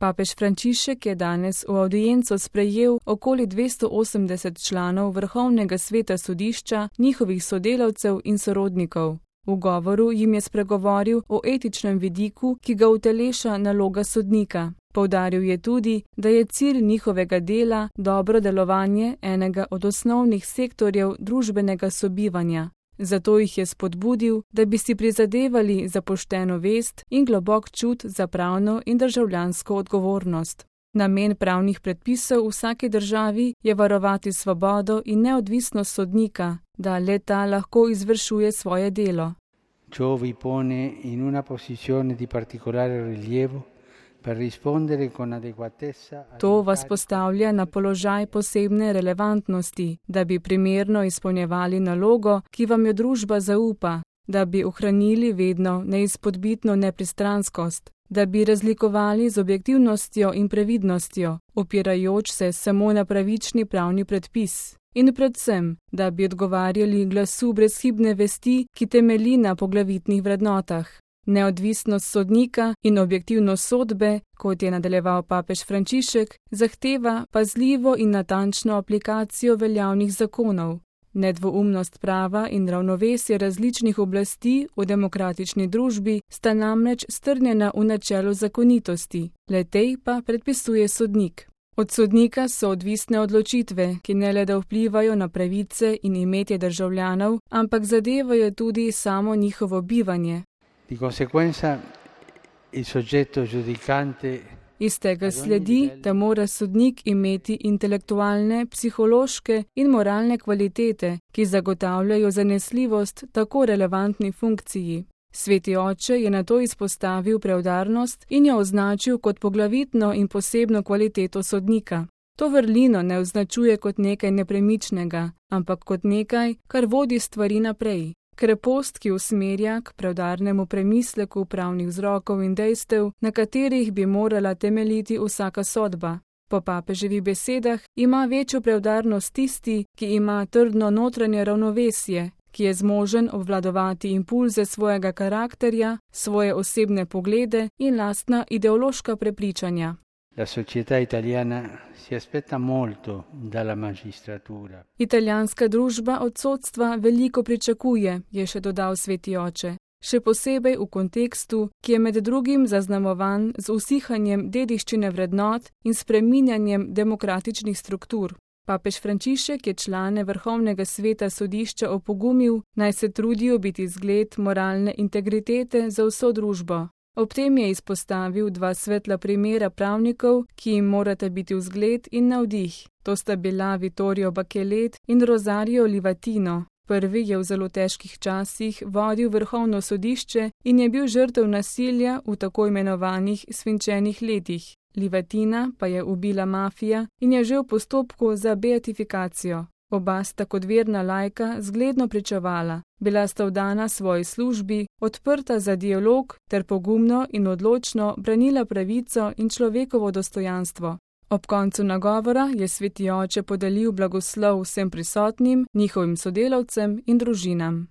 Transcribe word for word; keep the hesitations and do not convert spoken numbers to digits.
Papež Frančišek je danes v avdienco sprejel okoli dvesto osemdeset članov Vrhovnega sveta sodišča, njihovih sodelavcev in sorodnikov. V govoru jim je spregovoril o etičnem vidiku, ki ga uteleša naloga sodnika. Poudaril je tudi, da je cilj njihovega dela dobro delovanje enega od osnovnih sektorjev družbenega sobivanja. Zato jih je spodbudil, da bi si prizadevali za pošteno vest in globok čut za pravno in državljansko odgovornost. Namen pravnih predpisov v vsaki državi je varovati svobodo in neodvisnost sodnika, da le-ta lahko izvršuje svoje delo. Ciò vi pone in una posizione di particolare rilievo per rispondere con adeguatezza. To vas postavlja na položaj posebne relevantnosti, da bi primerno izpolnjevali nalogo, ki vam jo družba zaupa, da bi ohranili vedno neizpodbitno nepristranskost, da bi razlikovali z objektivnostjo in previdnostjo, opirajoč se samo na pravični pravni predpis. In predvsem, da bi odgovarjali glasu brezhibne vesti, ki temelji na poglavitnih vrednotah. Neodvisnost sodnika in objektivnost sodbe, kot je nadaljeval papež Frančišek, zahteva pazljivo in natančno aplikacijo veljavnih zakonov. Nedvoumnost prava in ravnovesje različnih oblasti v demokratični družbi sta namreč strnjena v načelu zakonitosti, le-tej pa predpisuje sodnik. Od sodnika so odvisne odločitve, ki ne le da vplivajo na pravice in imetje državljanov, ampak zadevajo tudi samo njihovo bivanje. Di conseguenza il soggetto giudicante. Iz tega sledi, da mora sodnik imeti intelektualne, psihološke in moralne kvalitete, ki zagotavljajo zanesljivost tako relevantni funkciji. Sveti oče je nato izpostavil preudarnost in jo označil kot poglavitno in posebno kvaliteto sodnika. To vrlino ne označuje kot nekaj nepremičnega, ampak kot nekaj, kar vodi stvari naprej. Krepost, ki usmerja k preudarnemu premisleku pravnih vzrokov in dejstev, na katerih bi morala temeljiti vsaka sodba. Po papeževih besedah ima večjo preudarnost tisti, ki ima trdno notranje ravnovesje, ki je zmožen obvladovati impulze svojega karakterja, svoje osebne poglede in lastna ideološka prepričanja. La società italiana si aspetta molto dalla magistratura. Italijanska družba od sodstva veliko pričakuje, je še dodal sveti oče. Še posebej v kontekstu, ki je med drugim zaznamovan z usihanjem dediščine vrednot in spreminjanjem demokratičnih struktur. Papež Frančišek je člane Vrhovnega sveta sodišča opogumil, naj se trudijo biti zgled moralne integritete za vso družbo. Ob tem je izpostavil dva svetla primera pravnikov, ki jim morata biti vzgled in navdih. To sta bila Vittorio Bachelet in Rosario Livatino. Prvi je v zelo težkih časih vodil Vrhovno sodišče in je bil žrtev nasilja v tako imenovanih svinčenih letih. Livatina pa je ubila mafija in je že v postopku za beatifikacijo. Oba sta kot verna laika zgledno pričevala. Bila sta vdana svoji službi, odprta za dialog ter pogumno in odločno branila pravico in človekovo dostojanstvo. Ob koncu nagovora je sveti oče podelil blagoslov vsem prisotnim, njihovim sodelavcem in družinam.